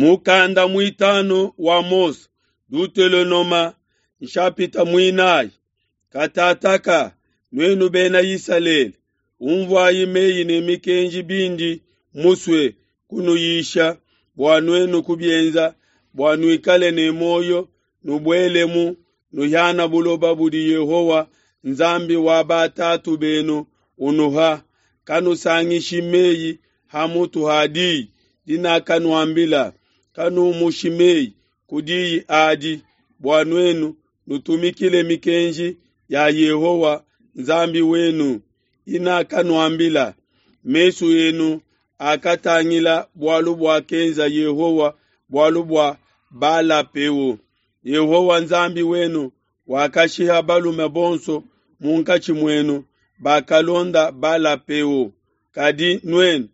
Mukanda muitanu wa Mose, Dutelonoma, nshapita muinayi. Katataka, nuenu bena Isalele, umvuayi meyi ne mikenji bindi musue kunuyisha bua nuenu kubienza, bua nuikale ne muoyo, nubuelemu, nuhiana buloba budi Yehowa, Nzambi wa batatu benu, unuha. Kanusangishi meyi ha mutu ha diyi dinakanuambila, kanumushi meyi ku diyi adi, bua nuenu nutumikile mikenji ya Yehowa, Nzambi wenu, inakanuambila. Mesu enu akatangila bualu buakenza Yehowa bualu bua Bala-peo. Yehowa Nzambi wenu wakashiha balume bonso munkatshi muenu bakalonda Bala-peo. Kadi nuenu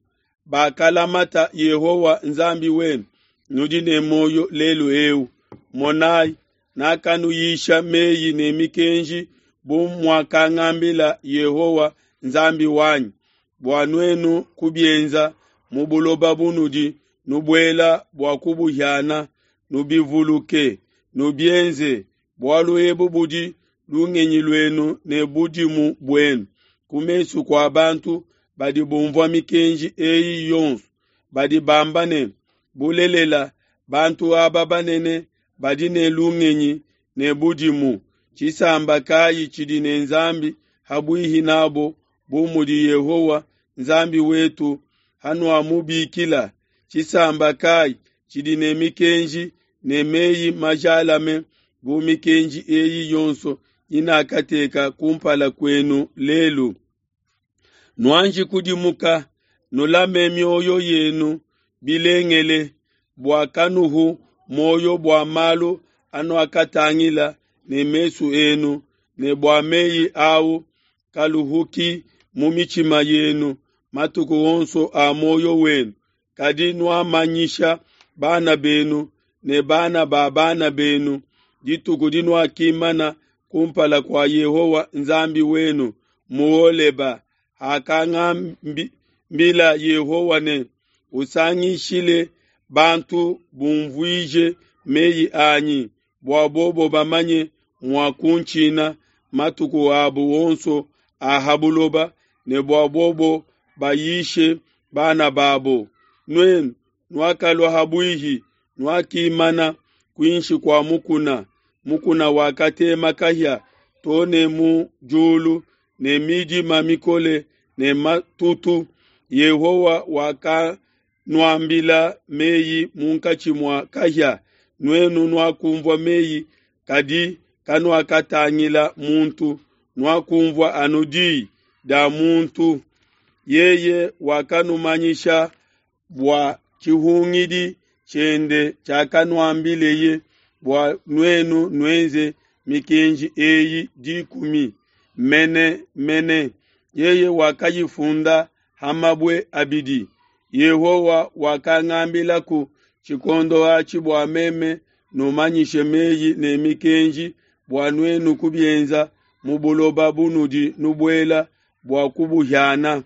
bakalamata Yehowa Nzambi wenu, nudi ne muoyo lelu eu. Monai, nakanuyisha meyi ne mikenji bu muakangambila Yehowa Nzambi wanyi, bua nuenu kubienza mu buloba bunudi nubuela bua kubuhiana. Nubivuluke, nubienze, bualu ebu budi lungenyi luenu ne budimu buenu ku mesu kua bantu badi bumvua mikenji eyi yonso, badi bamba ne, Bulelela, bantu aba banene badi ne lungenyi ne budimu. Tshisamba kayi tshidi ne Nzambi ha buihi n'abo bu mudi Yehowa, Nzambi wetu, hanuamubikila? Tshisamba kayi tshidi ne mikenji ne meyi majalame bu mikenji eyi yonso inakateka kumpala kuenu lelu? Nuanji kudimuka, nulame mioyo yenu bilengele, bua kanuhu muoyo bua malu anuakatangila ne mesu enu, ne bua meyi au kaluhuki mu mitshima yenu matuku onso a muoyo wenu, kadi nuamanyisha bana benu ne bana ba bana benu dituku dinuakimana kumpala kua Yehowa Nzambi wenu mu Holeba, hakangambila Yehowa ne, Usangishile bantu bumvuije meyi anyi, bua bobo bamanye mua kuntshina matuku abo onso a ha buloba, ne bua bobo bayishe bana babo. Nuenu nuakalua ha buihi, nuakimana kuinshi kua mukuna, mukuna wakatema kahia to ne mu diulu ne midima mikole ne matutu. Yehowa wakanuambila meyi munkatshi mua kahia, nuenu nuakunvua meyi, kadi kanuakatangila muntu, nuakunvua anu diyi dia muntu. Yeye wakanumanyisha bua tshihungidi tshiende tshiakanuambileye bua nuenu nuenze mikenji eyi dikumi mene mene. Yeye wakayifunda ha mabue abidi. Yehowa wakangambilaku tshikondo atshi bua meme numanyishe meyi ne mikenji bua nuenu kubienza mu buloba bunudi nubuela bua kubuhiana.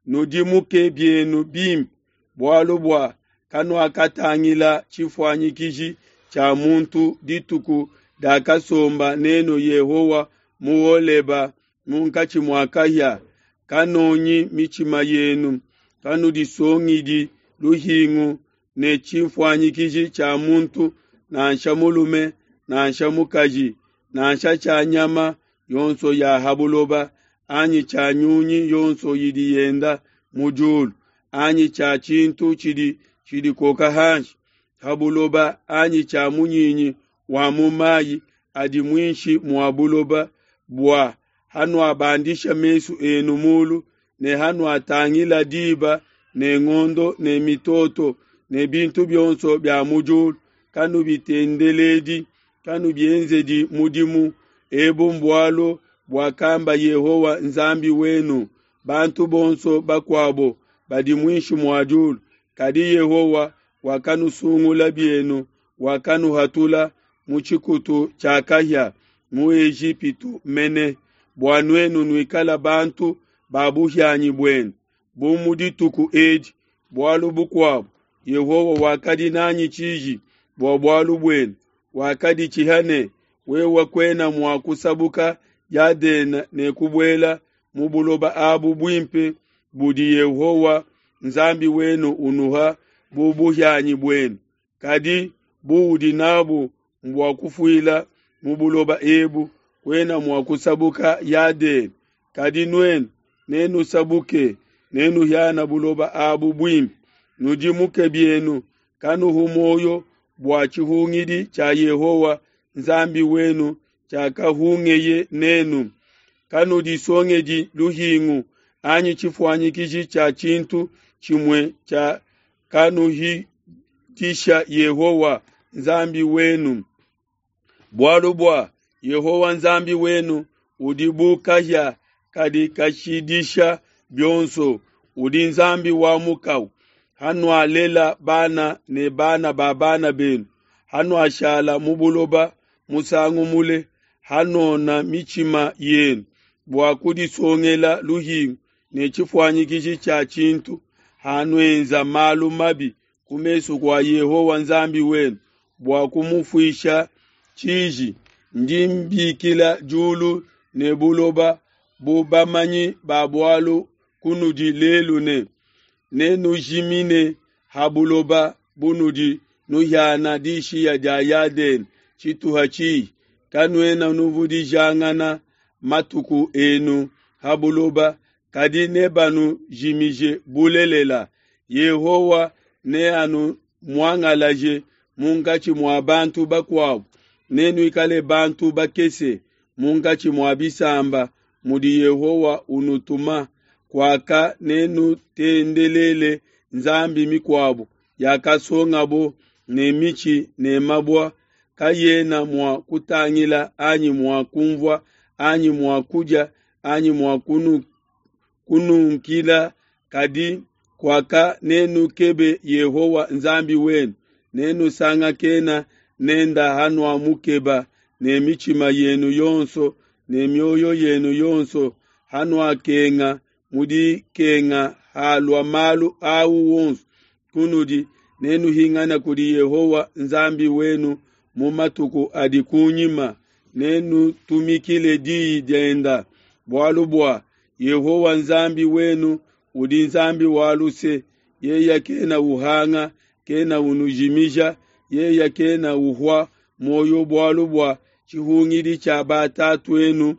Nudimuke bienu bimpe, bualu bua kanuakatangila tshifuanyikiji tshia muntu dituku diakasomba nenu Yehowa mu Holeba munkatshi mua kahia. Kanonyi mitshima yenu, kanudisongidi luhingu ne tshifuanyikiji tshia muntu, nansha mulume nansha mukaji, nansha tshia nyama yonso ya ha buloba, anyi tshia nyunyi yonso idi yenda mu diulu, anyi tshia tshintu tshidi tshidikoka hanshi ha buloba, anyi tshia munyinyi wa mu mayi adi muinshi mua buloba, bua hanuabandisha mesu enu mulu ne hanuatangila diba ne ngondo ne mitoto ne bintu bionso bia mu diulu, kanubitendeledi, kanubienzedi mudimu. Ebu mbualu buakamba Yehowa Nzambi wenu. Bantu bonso bakuabo badi muinshi mua diulu, kadi Yehowa wakanusungula bienu, wakanuhatula mu tshikutu tshia kahia mu Ejipitu mene, bua nuenu nuikale bantu ba buhianyi buenu, bu mu dituku edi. Bualu bukuabo, Yehowa wakadi n'anyi tshiji bua bualu buenu, wakaditshiha ne, Wewe kuena mua kusabuka Yadene ne kubuela mu buloba abu buimpe budi Yehowa Nzambi wenu unuha bu buhianyi buenu, kadi buudi n'abu mbua kufuila mu buloba ebu, kuena mua kusabuka Yadene. Kadi nuenu nenusabuke, nenuhiana buloba abu buimpe. Nudimuke bienu, kanuhu muoyo bua tshihungidi tshia Yehowa Nzambi wenu tshiakahungeye nenu. Kanudisongedi luhingu anyi tshifuanyikiji tshia tshintu tshimue tshia kanuhitisha Yehowa Nzambi wenu. Bualu bua Yehowa Nzambi wenu udi bu kahia kadi kashidisha bionso, udi Nzambi wa mukau. Hanualela bana ne bana ba bana benu, hanuashala mu buloba musangu mule, hanona mitshima yenu bua kudisongela luhingu ne tshifuanyikiji tshia tshintu, hanuenza malu mabi ku mesu kua Yehowa Nzambi wenu bua kumufuisha tshiji, ndi mbikila diulu ne buloba bu bamanyi ba bualu kunudi lelu ne, nenujimine ha buloba bunudi nuhiana dishiya dia Yadene tshituha tshihi, kanuena nuvudijangana matuku enu ha buloba, kadi nebanujimije bulelela. Yehowa neanumuangalaje munkatshi mua bantu bakuabo, nenuikale bantu bakese munkatshi mua bisamba mudi Yehowa unutuma. Kuaka nenutendelele nzambi mikuabo yakasongabo ne mitshi ne mabua, kayena mua kutangila anyi mua kunvua anyi mua kudia anyi mua kununkila. Kadi kuaka nenukebe Yehowa Nzambi wenu, nenusangakena nenda hanuamukeba ne mitshima yenu yonso ne mioyo yenu yonso, hanuakenga mu dikenga halua malu au wonso kunudi, nenuhingane kudi Yehowa Nzambi wenu mu matuku adi kunyima, nenutumikile diyi dienda. Bualu bua Yehowa Nzambi wenu udi Nzambi wa luse, yeye kena uhanga, kena unujimija, yeye kena uhua muoyo bualu bua tshihungidi tshia batatu'enu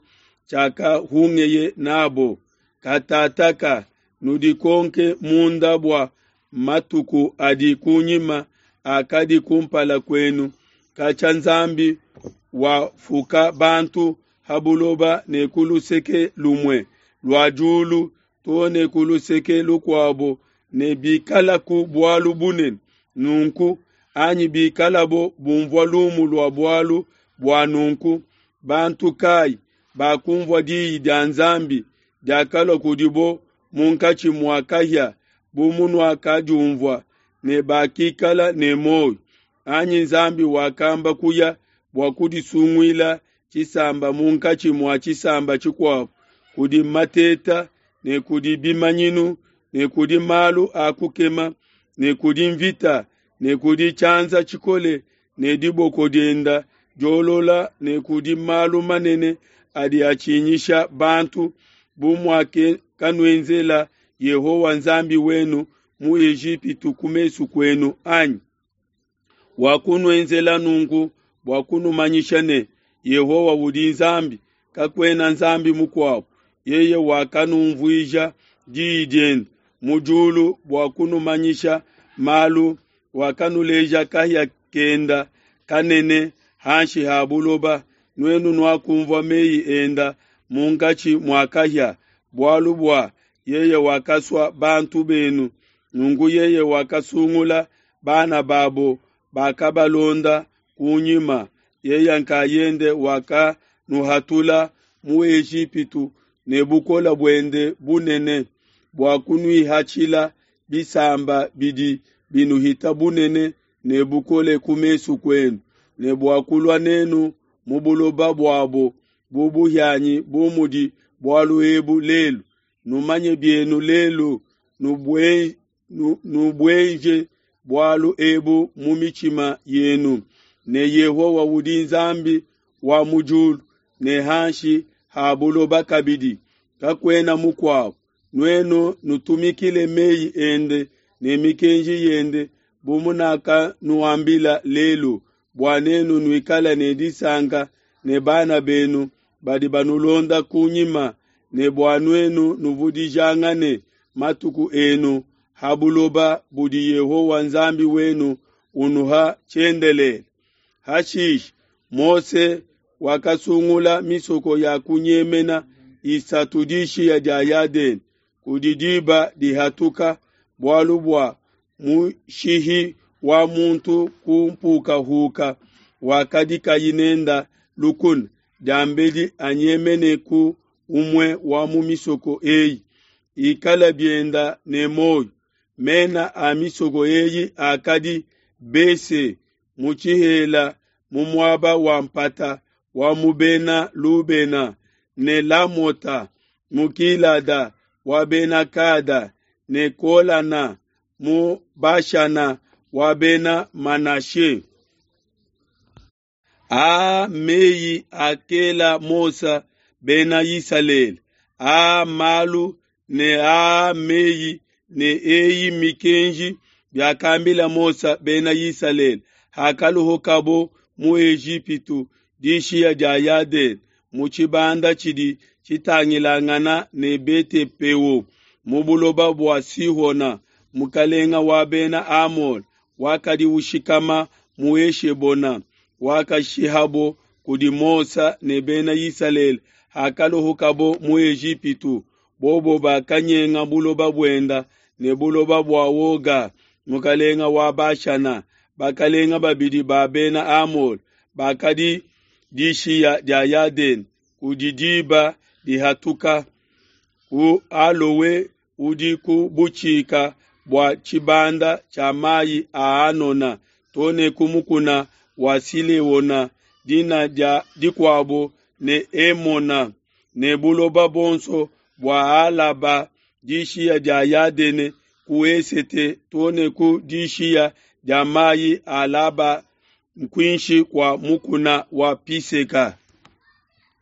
tshiakahungeye nabo. Katataka nudikonke munda bua matuku adi kunyima akadi kumpala kuenu, katshia Nzambi wafuka bantu ha buloba ne ku luseke lumue lua diulu too ne ku luseke lukuabo, ne bikalaku bualu bunene nunku, anyi bikalabo bumvua lumu lua bualu bua nunku, bantu kai bakumvua diyi dia Nzambi diakalua kudibo munkatshi mua kahia bu munuakadiumvua, ne bakikala ne muoyo? Anyi Nzambi wakamba kuya bua kudisunguila tshisamba munkatshi mua tshisamba tshikuabo kudi mateta ne kudi bimanyinu ne kudi malu a kukema ne kudi mvita ne kudi tshianza tshikole ne diboko dienda diolola ne kudi malu manene adi atshinyisha bantu, bu muakanuenzela Yehowa Nzambi wenu mu Ejipitu ku mesu kuenu anyi? Wakunuenzela nunku bua kunumanyisha ne, Yehowa udi Nzambi, kakuena nzambi mukuabo. Yeye wakanumvuija diyi diende mu diulu bua kunumanyisha malu, wakanuleja kahia kenda kanene hanshi ha buloba, nuenu nuakunvua meyi enda munkatshi mua kahia. Bualu bua yeye wakasua bantu benu, nunku yeye wakasungula bana babo bakabalonda kunyima. Yeye nkayende wakanuhatula mu Ejipitu ne bukole buende bunene, bua kunuihatshila bisamba bidi binuhita bunene ne bukole ku mesu kuenu, ne bua kulua nenu mu buloba buabo bu buhianyi bu mudi bualu ebu lelu. Numanye bienu lelu, nubueje bualu ebu mu mitshima yenu ne, Yehowa udi Nzambi wa mu diulu ne hanshi ha buloba kabidi, kakuena mukuabo. Nuenu nutumikile meyi ende ne mikenji yende bu munakanuambila lelu, bua nenu nuikale ne disanka ne bana benu badi banulonda kunyima, ne bua nuenu nuvudijangane matuku enu ha buloba budi Yehowa Nzambi wenu unuha tshiendelele. Hashishe Mose wakasungula misoko ya kunyemena isatu dishiya dia Yadene kudi diba dihatuka, bualu bua mushihi wa muntu ku mpukahuka wakadi kayi nenda lukuna, diambedi anyemene ku umue wa mu misoko eyi, ikala bienda ne muoyo. Mena a misoko eyi akadi Bese mu tshihela mu muaba wa mpata wa mu Bena Lubena, ne Lamota mu Gilada wa Bena Gada, ne Golana mu Bashana wa Bena Manashe. Aa mmeyi akela Mose Bena Isalele, aa mmalu ne aa mmeyi ne eyi mmikenji biakambila Mose Bena Isalele hakaluhukabo mu Ejipitu dishiya dia Yadene mu tshibanda tshidi tshitangilangana ne Bete-peo mu buloba bua Sihona mukalenga wa Bena Amole wakadi ushikama mu Heshebona wakashihabo kudi Mose ne Bena Isalele hakaluhukabo mu Ejipitu. Bobo bakanyenga buloba buenda ne buloba bua Oga mukalenga wa Bashana, bakalenga babidi ba Bena Amole bakadi dishiya dia Yadene kudi diba dihatuka ku Alowe udi ku butshika bua tshibanda tshia mayi a Anona to ne ku mukuna wa Sileona, dina dia dikuabo ne Emona, ne buloba buonso bua Alaba dishiya dia Yadene ku esete to ne ku dishiya dia mayi a Alaba kuinshi kua mukuna wa Piseka.